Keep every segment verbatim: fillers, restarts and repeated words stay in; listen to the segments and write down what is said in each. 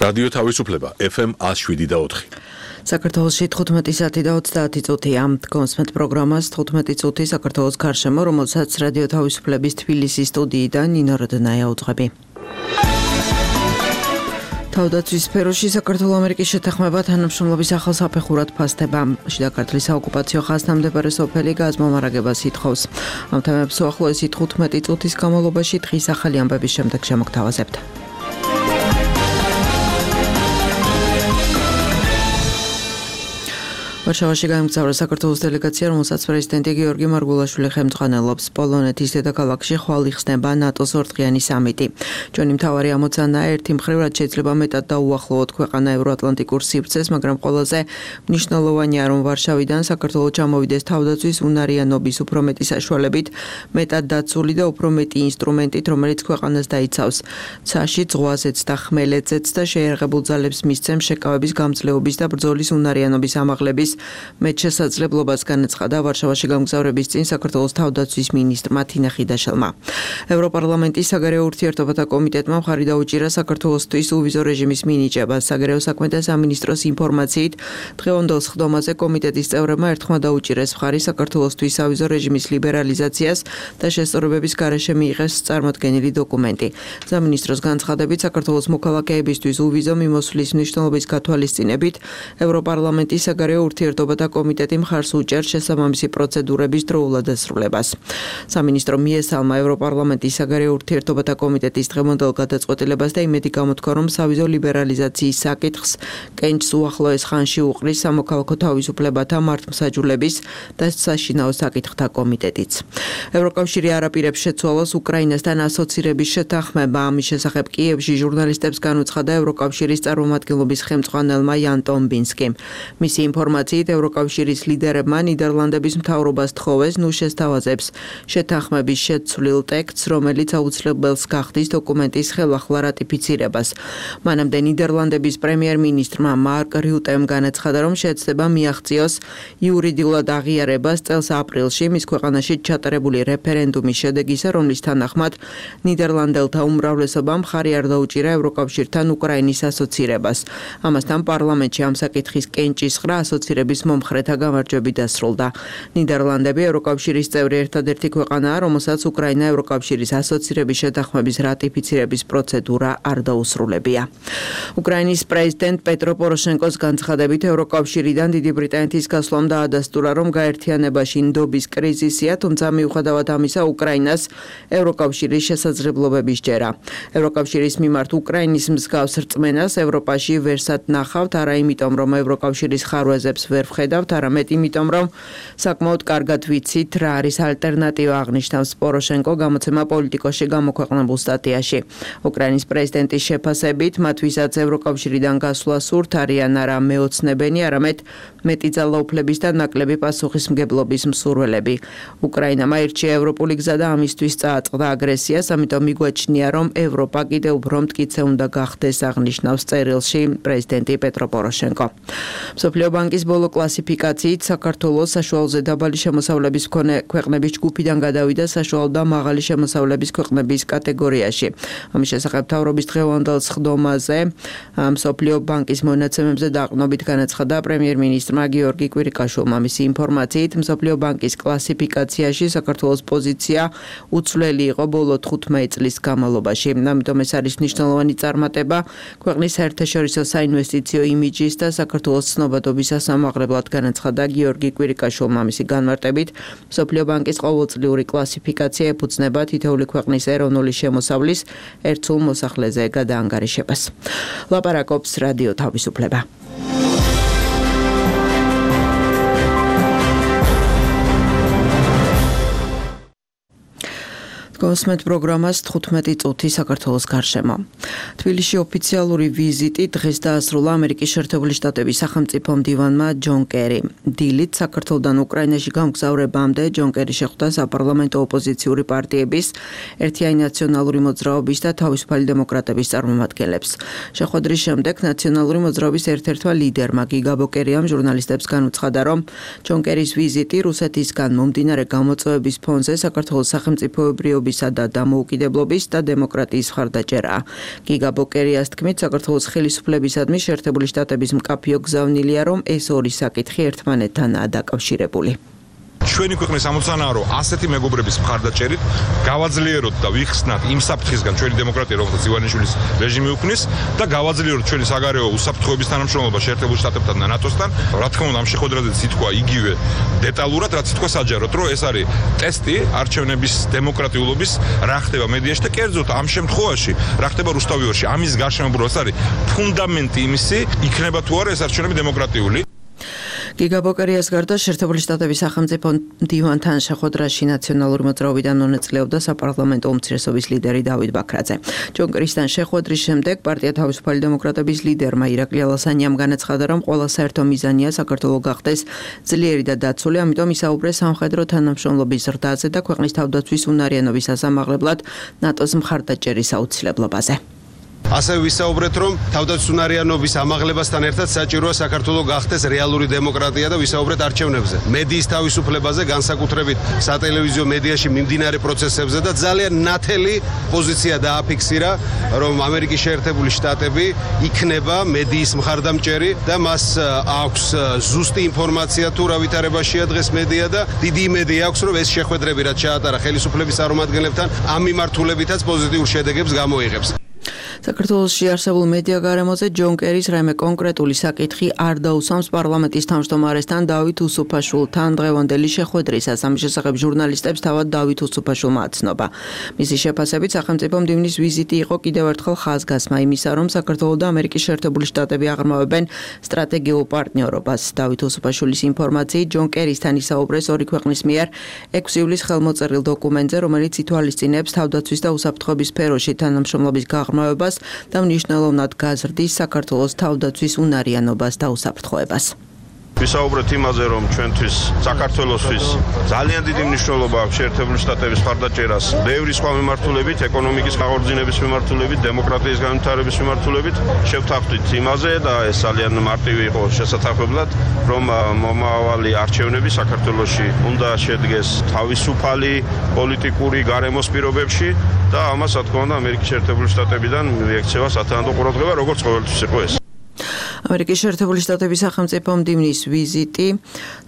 რადიო თავისუფლება ეფ ემ one oh seven და four. საქართველოში თხუთმეტი საათი და ოცდაათი წუთია. კონსმეთ პროგრამას თხუთმეტი წუთი საქართველოს გარშემო, რომელსაც რადიო თავისუფლების თბილისის სტუდიიდან ნინო როდნაია უძღვები. თავდაცვის სფეროში საქართველო-ამერიკის შეთანხმება თანამშრომლობის ახალ საფეხურად ფასდება. შიდა ქართლის საოკუპაციო ხაზს თავმდებარე სოფელი გაზმომარაგებას ითხოვს. ამ თემებს უახლოესი თხუთმეტი წუთის განმავლობაში დღის ახალი ამბების შემდეგ შემოგთავაზებთ. ვარშავაში გაემგზავრა საქართველოს დელეგაცია, რომელსაც პრეზიდენტი გიორგი მარგულაშვილი ხელმძღვანელობს. პოლონეთის დედაქალაქში ხვალ იხსნება ნატოს ორდღიანი სამიტი. ჯონი მთავარი ამოცანაა ერთი მხრივ, რაც შეიძლება მეტად დაუახლოვოთ ქვეყანა ევროატლანტიკურ სივრცეს, მაგრამ ყველაზე მნიშვნელოვანია, რომ ვარშავიდან საქართველოს ჩამოვიდეს თავდაცვის უნარიანობის უფრო მეტი საშუალებით, მეტად დაცული და უფრო მეტი ინსტრუმენტით, რომელიც ქვეყანას დაიცავს ცაში, ზღვაზეც და ხმელეთზეც და შეიარაღებულ ძალებს მისცემს შეკავების გამძლეობის და ბრძოლის უნარიანობის ამაღლების მეც შესაძლებლობას განაცხადა ვარშავაში გამგზავრების წინ საქართველოს თავდაცვის მინისტრმა თინა ხიდაშელმა. ევროპარლამენტის საგარეო ურთიერთობათა კომიტეტმა მხარი დაუჭირა საქართველოსთვის უვიზო რეჟიმის მინიჭებას. საგარეო საქმეთა სამინისტროს ინფორმაციით, დღევანდელ სხდომაზე კომიტეტის წევრებმა ერთხმა დაუჭირეს მხარი საქართველოსთვის სავიზო რეჟიმის ლიბერალიზაციას და შესწორებების გარეშე მიიღეს წარმოდგენილი დოკუმენტი. სამინისტროს განცხადებით, საქართველოს მოქალაქეებისთვის უვიზო მიმოსვლის მნიშვნელობის გათვალისწინებით, ევროპარლამენტის საგარეო ურთიერთობათა კომიტეტი მხარს უჭერს შესაბამისი პროცედურების დროულად დასრულებას. სამინისტრო მიესალმა ევროპარლამენტის საგარეო ურთიერთობათა კომიტეტის დღევანდელ გადაწყვეტილებას და იმედი გამოთქვა, რომ სავიზო ლიბერალიზაციის საკითხს კენჭს უახლოეს ხანში უყრის სამოქალაქო თავისუფლებათა მართლმსაჯულების და საშინაო საკითხთა კომიტეტიც. ევროკავშირი არ აპირებს შეცვალოს უკრაინასთან ასოცირების შეთანხმება. ამის შესახებ კიევში ჟურნალისტებს განუცხადა ევროკავშირის წარმომადგენლობის ხელმძღვანელმა იან ტომბინსკიმ. მისი ინფორმაციით, ევროკავშირის ლიდერებმა ნიდერლანდების მთავრობას თხოვეს ნუ შესთავაზებს შეთანხმების შეცვლილ ტექსტს, რომელიც აუცილებელს გახდის დოკუმენტის ხელახლა რატიფიცირებას. მანამდე ნიდერლანდების პრემიერ-მინისტრმა მარკ რიუტემ განაცხადა, რომ შეეცდება მიაღწიოს იურიდიულად აღიარებას წელს აპრილში მის ქვეყანაში ჩატარებული რეფერენდუმის შედეგისა, რომლის თანახმად ნიდერლანდელთა უმრავლესობამ მხარი არ დაუჭირა ევროკავშირთან უკრაინის ასოცირებას. ამასთან პარლამენტში ამ საკითხის კენჭის ხრა ასოცირების მომხრეთა გამარჯვებით დასრულდა. ნიდერლანდები ევროკავშირის წევრი ერთადერთი ქვეყანაა, რომელსაც უკრაინა ევროკავშირის ასოცირების შეთანხმების რატიფიცირების პროცედურა არ დაუსრულებია. უკრაინის პრეზიდენტ პეტრო პოროშენკოს განცხადებით, ევროკავშირიდან დიდი ბრიტანეთის გასვლამ დაადასტურა, რომ გაერთიანებაში ნდობის კრიზისია, თუმცა მიუხედავად ამისა, უკრაინას ევროკავშირის შესაძლებლობები სჯერა. ევროკავშირის მიმართ უკრაინის მსგავს რწმენას ევროპაში ვერსად ნახავთ, არა იმიტომ, რომ ევროკავშირის ხარვეზებს ვერ ვხედავთ, არამედ იმიტომ, რომ საკმაოდ კარგად ვიცით, რა არის ალტერნატივა, აღნიშნავს პოროშენკო გამოცემა პოლიტიკოში გამოქვეყნებულ სტატიაში. უკრაინის პრეზიდენტის შეფასებით, მათ ვისაც ევროკავშირიდან გასვლა სურთ, არიან არა მეოცნებენი, არამედ მეტი ძალაუფლების და ნაკლები პასუხისმგებლობის მსურველები. უკრაინამ აირჩია ევროპული გზა და ამისთვის წააწყდა აგრესიას, ამიტომ მიგვაჩნია, რომ ევროპა კიდევ უფრო მტკიცე უნდა გახდეს, აღნიშნავს წერილში პრეზიდენტი პეტრო პოროშენკო. მსოფლიო ბანკის ბოლო კლასიფიკაციით საქართველოს საშუალოზე დაბალი შემოსავლების მქონე ქვეყნების ჯგუფიდან გადავიდა საშუალო და მაღალი შემოსავლების ქვეყნების კატეგორიაში. ამის შესახებ მთავრობის დღევანდელ სხდომაზე მსოფლიო ბანკის მონაცემებზე დაყრდნობით განაცხადა პრემიერ-მინისტრმა გიორგი კვირიკაშვილმა. მისი ინფორმაციით, მსოფლიო ბანკის კლასიფიკაციაში საქართველოს პოზიცია უცვლელი იყო ბოლო თხუთმეტი წლის განმავლობაში. ამიტომ ეს არის მნიშვნელოვანი წარმატება ქვეყნის საერთაშორისო საინვესტიციო იმიჯის და საქართველოს ცნობადობის ასამაღლებლად, განაცხადა გიორგი კვირიკაშვილმა. მისი განმარტებით, მსოფლიო ბანკის ყოველწლიური კლასიფიკაცია ეფუძნება თითოეული ქვეყნის ეროვნული შემოსავლის ერთსულ მოსახლეზე გადაანგარიშებას. ლაპარაკობს რადიო თავისუფლება. კონსმეთ პროგრამას თხუთმეტი წუთი საქართველოს გარშემო. თბილისში ოფიციალური ვიზიტი დღეს დაასრულა ამერიკის შეერთებული შტატების სახელმწიფო მდივანმა ჯონ კერი. დილით საქართველოდან უკრაინაში გამგზავრებამდე ჯონ კერი შეხვდა საპარლამენტო ოპოზიციური პარტიების, ერთიანი ნაციონალური მოძრაობის და თავისუფალი დემოკრატების წარმომადგენლებს. შეხვედრის შემდეგ ნაციონალური მოძრაობის ერთ-ერთმა ლიდერმა გიგა ბოკერიამ ჟურნალისტებს განუცხადა, რომ ჯონ კერის ვიზიტი რუსეთისგან მომდინარე გამოწვევების ფონზე საქართველოს სახელმწიფოებრიობის უფლებებისა და დამოუკიდებლობის და დემოკრატიის მხარდაჭერაა. გიგა ბოკერიას თქმით, საქართველოს ხელისუფლებისადმი შეერთებული შტატების მკაფიო გზავნილია, რომ ეს ორი საკითხი ერთმანეთთანაა დაკავშირებული. ჩვენი ქვეყნის ამოცანაა, რომ ასეთი მეგობრების მხარდაჭერით გავაძლიეროთ და ვიხსნათ იმ საფრთხისგან ჩვენი დემოკრატია, რომელსაც ივანიშვილის რეჟიმი უქმნის და გავაძლიეროთ ჩვენი საგარეო უსაფრთხოების თანამშრომლობა შეერთებულ შტატებთან და ნატოსთან. რა თქმა უნდა, ამ შეხვედრაზე ითქვა იგივე დეტალურად, რაც ითქვა საჯაროდ, რომ ეს არის ტესტი არჩევნების დემოკრატიულობის, რა ხდება მედიაში და კერძოდ ამ შემთხვევაში, რა ხდება რუსთავიორში. ამის გარშემო ეს არის ფუნდამენტი იმისი, იქნება თუ არა ეს არჩევნები დემოკრატიული. გიგა ბოკერიას გარდა შეერთებული შტატების სახელმწიფო მდივანთან შეხვედრაში ნაციონალური მოძრაობიდან მონაწილეობდა საპარლამენტო უმცირესობის ლიდერი დავით ბაქრაძე. ჯონ კერისთან შეხვედრის შემდეგ პარტია თავისუფალი დემოკრატების ლიდერმა ირაკლი ალასანიამ განაცხადა, რომ ყველა საერთო მიზანია საქართველო გახდეს ძლიერი და დაცული, ამიტომ ისაუბრეს სამხედრო თანამშრომლობის ზრდაზე და ქვეყნის თავდაცვის უნარიანობის ასამაღლებლად ნატოს მხარდაჭერის აუცილებლობაზე. ასევე ვისაუბრეთ, რომ თავდაცვის უნარიანობის ამაღლებასთან ერთად საჭიროა საქართველოს გახდეს რეალური დემოკრატია და ვისაუბრეთ არჩევნებზე, მედიის თავისუფლებაზე, განსაკუთრებით სატელევიზიო მედიაში მიმდინარე პროცესებზე და ძალიან ნათელი პოზიცია დააფიქსირა, რომ ამერიკის შეერთებული შტატები იქნება მედიის მხარდამჭერი და მას აქვს ზუსტი ინფორმაცია თუ რა ვითარებაშია დღეს მედია და დიდი იმედი აქვს, რომ ეს შეხვედრები, რაც ჩაატარა ხელისუფლების წარმომადგენლებთან, ამ მიმართულებითაც პოზიტიურ შედეგებს გამოიღებს. საქართველოში არსებულ მედია გარემოზე ჯონ კერის რაიმე კონკრეტული საკითხი არ დაუსვამს პარლამენტის თავმჯდომარესთან დავით უსუფაშვილთან დღევანდელი შეხვედრისას. ამის შესახებ ჟურნალისტებს თავად დავით უსუფაშვილმა აცნობა. მისი შეფასებით სახელმწიფო მდივნის ვიზიტი იყო კიდევ ერთხელ ხაზგასმა იმისა, რომ საქართველო და ამერიკის შეერთებული შტატები აღრმავებენ სტრატეგიულ პარტნიორობას. დავით უსუფაშვილის ინფორმაციით, ჯონ კერისთან ისაუბრეს ორი ქვეყნის მიერ ექვსი ივლისს ხელმოწერილ დოკუმენტზე, რომელიც ითვალისწინებს თავდაცვის და უსაფრთხოების სფეროში თანამშრომლობის გაღრმავებას და მნიშვნელოვნად გაზრდის საქართველოს თავდაცვის უნარიანობას და უსაფრთხოებას. ვისაუბრეთ იმაზე, რომ ჩვენთვის საქართველოსთვის ძალიან დიდი მნიშვნელობა აქვს შეერთებული შტატების მხარდაჭერას ბევრი სხვა მიმართულებით, ეკონომიკის აღორძინების მიმართულებით, დემოკრატიის განვითარების მიმართულებით. შევთანხმდით იმაზე და ეს ძალიან მარტივი იყო შესაძლებლად, რომ მომავალი არჩევნები საქართველოში უნდა შედგეს თავისუფალი პოლიტიკური გარემოს პირობებში და ამას, რა თქმა უნდა, ამერიკის შეერთებული შტატებიდან მიექცევა სათანადო ყურადღება, როგორც ყოველთვის იყო ეს. ამერიკის შეერთებული შტატების სახელმწიფო მდივნის ვიზიტი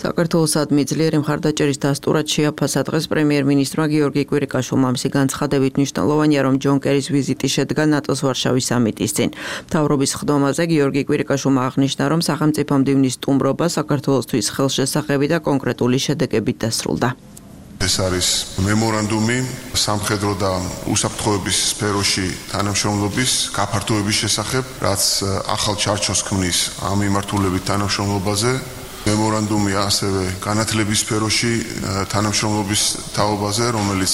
საქართველოსადმი ძლიერი მხარდაჭერის დასტურად შეაფასა დღეს პრემიერ-მინისტრმა გიორგი კვირიკაშვილმა. მისი განცხადებით მნიშვნელოვანია, რომ ჯონ კერის ვიზიტი შედგა ნატოს ვარშავის სამიტის წინ. მთავრობის ხდომაზე გიორგი კვირიკაშვილმა აღნიშნა, რომ სახელმწიფო მდივნის სტუმრობა საქართველოსთვის ხელშესახები და კონკრეტული შედეგებით დასრულდა. ეს არის მემორანდუმი სამხედრო და უსაფრთხოების სფეროში თანამშრომლობის გაფართოების შესახებ, რაც ახალ ჩარჩოს ქმნის ამ მიმართულებით თანამშრომლობაზე. მემორანდუმი ასევე განათლების სფეროში თანამშრომლობის თაობაზე, რომელიც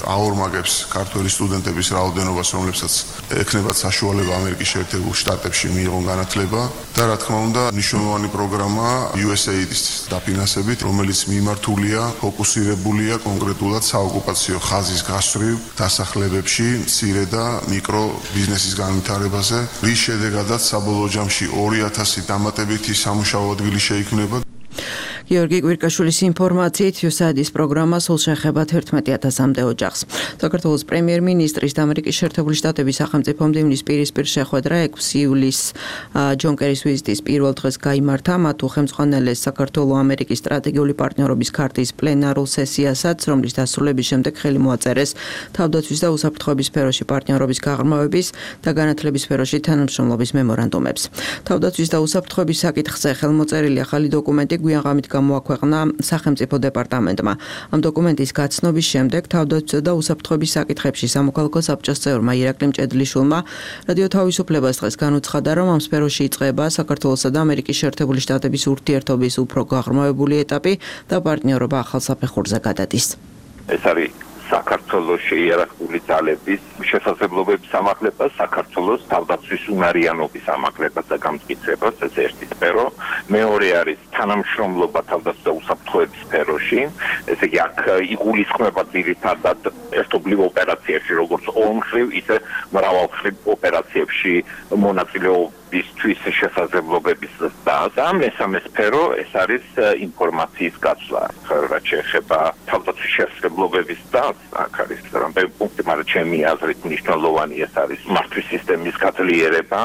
აორმაგებს ქართველი სტუდენტების რაოდენობას, რომლებსაც ექნებათ საშუალება ამერიკის შეერთებულ შტატებში მიიღონ განათლება და რა თქმა უნდა მნიშვნელოვანი პროგრამა იუ ეს έი დის დაფინანსებით, რომელიც მიმართულია, ფოკუსირებულია კონკრეტულად საოკუპაციო ხაზის გასწვრივ დასახლებებში მცირე და მიკრო ბიზნესის განვითარებაზე, რის შედეგადაც საბოლოო ჯამში ორი ათასი დამატებითი სამუშაო ადგილი შეიქმნება. გიორგი კვირიკაშვილის ინფორმაციით იუსაიდის პროგრამა სულ შეეხება თერთმეტი ათასამდე ოჯახს. საქართველოს პრემიერ-მინისტრის და ამერიკის შეერთებული შტატების სახელმწიფო მდივნის პირისპირ შეხვედრა ექვსი ივლისს ჯონ კერის ვიზიტის პირველ დღეს გაიმართა. მათ უხელმძღვანელეს საქართველო-ამერიკის სტრატეგიული პარტნიორობის ქარტის პლენარულ სესიასაც, რომლის დასრულების შემდეგ ხელი მოაწერეს თავდაცვის და უსაფრთხოების სფეროში პარტნიორობის გაღრმავების და განათლების სფეროში თანამშრომლობის მემორანდუმებს. თავდაცვის და უსაფრთხოების საკითხზე ხელმოწერილი ახალი დოკუმენტი გვიანღამით გამოაქვეყნა სახელმწიფო დეპარტამენტმა. ამ დოკუმენტის გაცნობის შემდეგ თავდაცვისა და უსაფრთხოების საკითხებში სამოქალაქო საბჭოს წევრმა ირაკლი მჭედლიშვილმა რადიო თავისუფლებას დღეს განუცხადა, რომ ამ სფეროში იწყება საქართველოსა და ამერიკის შეერთებული შტატების ურთიერთობის უფრო გაღრმავებული ეტაპი და პარტნიორობა ახალ საფეხურზე გადადის. ეს არის საქართველოს შეიარაღებული ძალების შესაძლებლობების ამაღლება, საქართველოს თავდაცვის უნარიანობის ამაღლება და გამტკიცება, ეს ერთი სფერო. მეორე არის თანამშრომლობა თავდაცვის და უსაფრთხოების სფეროში. ესე იგი, აქ იგულისხმება ძირითადად ერთობლივ ოპერაციებში, როგორც ორმხრივ, ისე მრავალმხრივ ოპერაციებში მონაწილეობისთვის შესაძლებლობების ზრდა. და მესამე სფერო ეს არის ინფორმაციის გაცვლა, რაც შეეხება თავდაცვის შესაძლებლობების დას აქ არის რამდენი პუნქტი, მაგრამ ჩემი აზრით მნიშვნელოვანი ეს არის მართვის სისტემის გაძლიერება,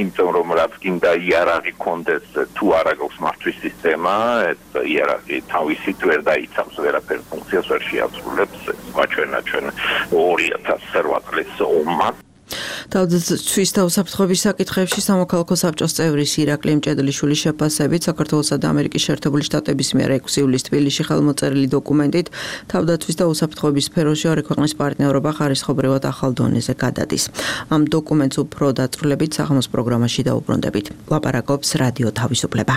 იმიტომ რომ რაც გინდა იარაღი კონდეს თუ არა გაქვს მართვის სისტემა, ეს იარაღი თავისით ვერ დაიცავს ვერაფერ ფუნქციას ვერ შეასრულებს, მაჩვენა ჩვენ ორი ათას ოთხ წლის ომმა. თავდაცვის და უსაფრთხოების საკითხებში სამოქალაქო საბჭოს წევრის ირაკლი მჭედლიშვილის შეფასებით საქართველოსა და ამერიკის შეერთებული შტატების მიერ ექვსი ივლისს თბილისში ხელმოწერილი დოკუმენტით თავდაცვის და უსაფრთხოების სფეროში ორი ქვეყნის პარტნიორობა ხარისხობრივად ახალ დონეზე გადადის. ამ დოკუმენტს უფრო დაწვრილებით საღამოს პროგრამაში დაუბრუნდებით. ლაპარაკობს რადიო თავისუფლება.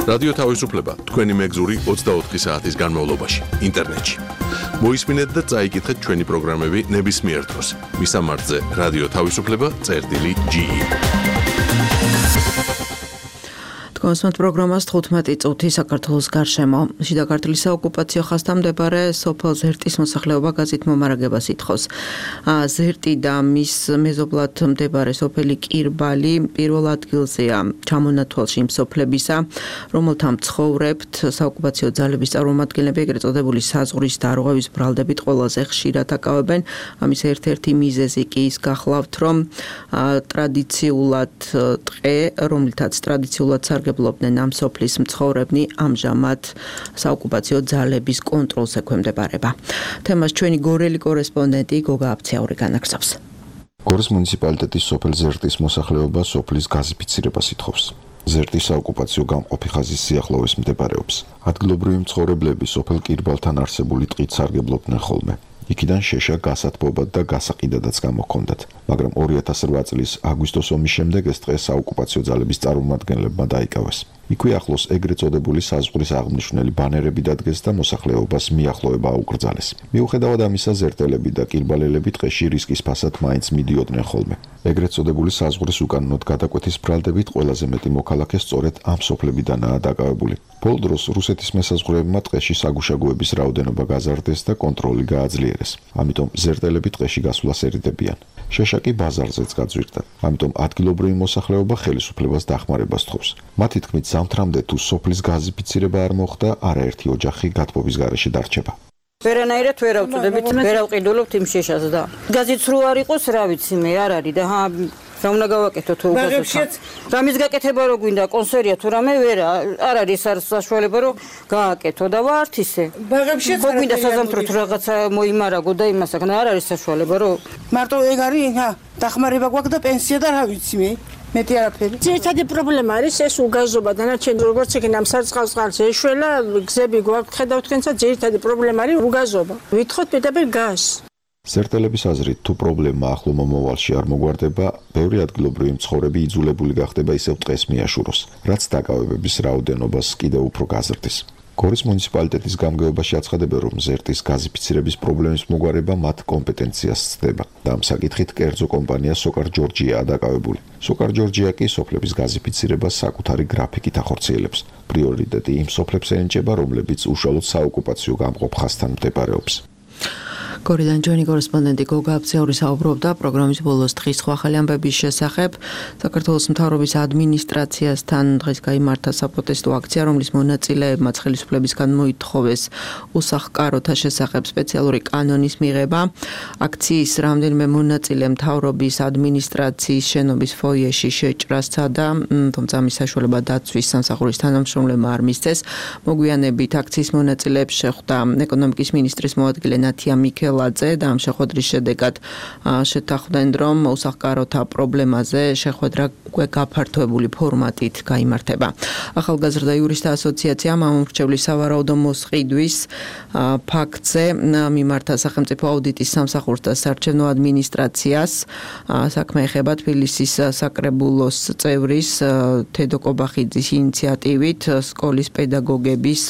რადიო თავისუფლება თქვენი მეგზური ოცდაოთხი საათის განმავლობაში ინტერნეტში. მოისმინეთ და წაიკითხეთ ჩვენი პროგრამები ნებისმიერ დროს. მისამართზე რადიო თავისუფლება წერტილი ჯი ი. კონსმოთ პროგრამას თხუთმეტი წუთი საქართველოს გარშემო. შიდა ქართლის საოკუპაციო ხაზთან მდებარე სოფელ ზერტის მოსახლეობა გაზით მომარაგებას ითხოვს. ზერტი და მის მეზობლად მდებარე სოფელი კირბალი პირველ ადგილზეა ჩამონათვალში იმ სოფლებისა, რომელთა მცხოვრებთ საოკუპაციო ძალების წარმომადგენლები ეგრეთ წოდებული საზღვრის დარღვევის ბრალდებით ყველაზე ხშირად აკავებენ. ამის ერთ-ერთი მიზეზი კი ის გახლავთ, რომ ტრადიციულად ტყე, რომლითაც ტრადიციულად სარგებლობდნენ ამ სოფლის მცხოვრებნი ამჟამად საოკუპაციო ძალების კონტროლს ექვემდებარება. თემას ჩვენი გორელი კორესპონდენტი გოგა აფციაური განაგრძობს. გორის მუნიციპალიტეტის სოფელ ზერტის მოსახლეობა სოფლის გაზიფიცირებას ითხოვს. ზერტის საოკუპაციო გამყოფი ხაზის სიახლოვეს მდებარეობს. ადგილობრივი მცხოვრებლები სოფელ კირბალთან არსებული ტყით სარგებლობდნენ ხოლმე. იქიდან შეშა გასათბობად და გასაყიდადაც გამოჰქონდათ, მაგრამ ორი ათას რვა წლის აგვისტოს ომის შემდეგ ეს ტყე საოკუპაციო ძალების წარმომადგენლებმა დაიკავეს. იქვე ახლოს ეგრეთ წოდებული საზღვრის აღმნიშვნელი ბანერები დადგეს და მოსახლეობას მიახლოება აუკრძალეს. მიუხედავად ამისა, ზერტელები და კირბალელები ტყეში რისკის ფასად მაინც მიდიოდნენ ხოლმე. ეგრეთ წოდებული საზღვრის უკანონოდ გადაკვეთის ბრალდებით ყველაზე მეტი მოქალაქე სწორედ ამ სოფლებიდანაა დაკავებული. ბოლო დროს რუსეთის მესაზღვრეებმა ტყეში საგუშაგოების რაოდენობა გაზარდეს და კონტროლი გააძლიერეს. ამიტომ ზერტელები ტყეში გასვლას ერიდებიან. შეშაკი ბაზარზეც გაძვირდა. ამიტომ ადგილობრივი მოსახლეობა ხელისუფლებას დახმარებას თხოვს. მათი თქმით, ზამთრამდე თუ სოფლის გაზიფიცირება არ მოხდა, არაერთი ოჯახი გათბობის გარეშე დარჩება. ვერანაირად ვერ ავწოდებით, ვერ ავყიდულობთ იმ შეშას და გაზიც რო არ იყოს, რა ვიცი მე, არ არის და ჰა რა უნდა გავაკეთო თუ უგაზოთ. რამის გაკეთება რო გვინდა, კონსერვია თუ რამე ვერა, არ არის არ საშუალება რომ გააკეთო და ვართ ისე. ბაღებშიც არ გვინდა საზამთროთ რაღაცა მოიმარაგო და იმას აქ არ არის საშუალება რომ მარტო ეგ არის, ჰა, დახმარება გვაქვს და პენსია და რა ვიცი მე. მეტი არაფერი. ძირითადი პრობლემა არის ეს უგაზობა და ნაჩვენები როგორც იქნება ამ სარწყავს ეშველა, გზები გვაქვს ხედავთ თქვენცა ძირითადი პრობლემა არის უგაზობა. ვითხოვთ პირდაპირ გაზს. ზერტელების აზრით, თუ პრობლემა ახლო მომავალში არ მოგვარდება, ბევრი ადგილობრივი მცხოვრები იძულებული გახდება ისევ ტყეს მიაშუროს, რაც დაკავებების რაოდენობას კიდევ უფრო გაზრდის. გორის მუნიციპალიტეტის გამგეობაში აცხადებენ, რომ ზერტის გაზიფიცირების პრობლემის მოგვარება მათ კომპეტენციას ცდება და ამ საკითხით კერძო კომპანია სოკარ ჯორჯიაა დაკავებული. სოკარ ჯორჯია კი სოფლების გაზიფიცირებას საკუთარი გრაფიკით ახორციელებს. პრიორიტეტი იმ სოფლებს ენიჭება, რომლებიც უშუალოდ საოკუპაციო გამყოფ ხაზთან მდებარეობს. გორიდან ჩვენი კორესპონდენტი გოგა აფციაური საუბრობდა პროგრამის ბოლოს დღის სხვა ახალი ამბების შესახებ. საქართველოს მთავრობის ადმინისტრაციასთან დღეს გაიმართა საპროტესტო აქცია, რომლის მონაწილეებმა ხელისუფლებისგან მოითხოვეს უსახკაროთა შესახებ სპეციალური კანონის მიღება. აქციის რამდენიმე მონაწილე მთავრობის ადმინისტრაციის შენობის ფოიეში შეჭრას სცადა, თუმცა მის საშუალება დაცვის სამსახურის თანამშრომლებმა არ მისცეს. მოგვიანებით აქციის მონაწილეებს შეხვდა ეკონომიკის მინისტრის მოადგილე ნათია მიქელაძე და ამ შეხვედრის შედეგად შეთანხმდნენ, რომ უსახკაროთა პრობლემაზე შეხვედრა უკვე გაფართოებული ფორმატით გაიმართება. ახალგაზრდა იურისტთა ასოციაცია მამამრჩევლის სავარაუდო მოსყიდვის ფაქტზე მიმართა სახელმწიფო აუდიტის სამსახურს და საარჩევნო ადმინისტრაციას. საქმე ეხება თბილისის საკრებულოს წევრის თედო კობახიძის ინიციატივით სკოლის პედაგოგების